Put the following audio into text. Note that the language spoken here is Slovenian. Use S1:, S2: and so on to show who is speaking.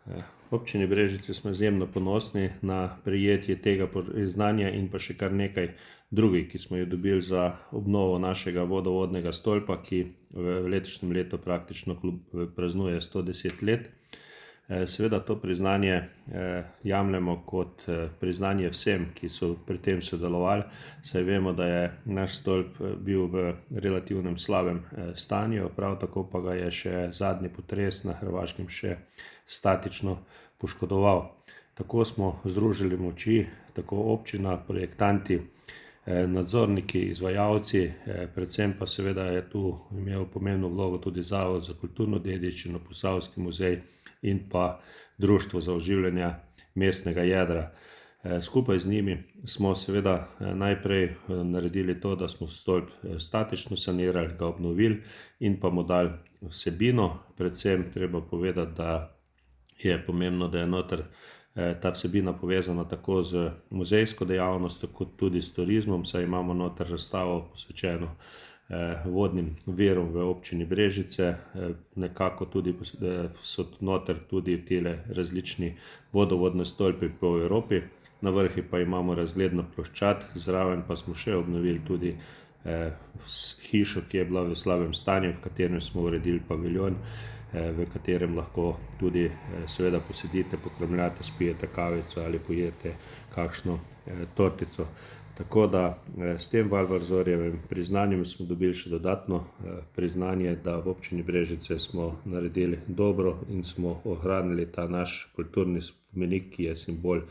S1: V občini Brežice smo izjemno ponosni na prejetje tega priznanja in pa še kar nekaj drugih, ki smo jo dobili za obnovo našega vodovodnega stolpa, ki v letošnjem letu praktično praznuje 110 let. Seveda to priznanje jemljemo kot priznanje vsem, ki so pri tem sodelovali, saj vemo, da je naš stolp bil v relativnem slabem stanju, prav tako pa ga je še zadnji potres na Hrvaškem še statično poškodoval. Tako smo združili moči, tako občina, projektanti, nadzorniki, izvajalci, predvsem pa seveda je tu imel pomembno vlogo tudi Zavod za kulturno dediščino, Posavski muzej in pa Društvo za oživljanje mestnega jedra. Skupaj z njimi smo seveda najprej naredili to, da smo stolp statično sanirali, ga obnovili in pa mu dali vsebino. Predvsem treba povedati, da je pomembno, da je noter ta vsebina povezana tako z muzejsko dejavnostjo kot tudi s turizmom, saj imamo noter razstavo posvečeno vodnim virom v občini Brežice. Nekako tudi so noter tudi tile različni vodovodni stolpi po Evropi. Na vrhu pa imamo razgledno ploščad, zraven pa smo še obnovili tudi hišo, ki je bila v slabem stanju, v katerem smo uredili paviljon, v katerem lahko tudi seveda posedite, pokramljate, spijete kavico ali pojeste kakšno tortico. Tako da s tem Valvarzorjevim priznanjem smo dobili še dodatno priznanje, da v občini Brežice smo naredili dobro in smo ohranili ta naš kulturni spomenik, ki je simbol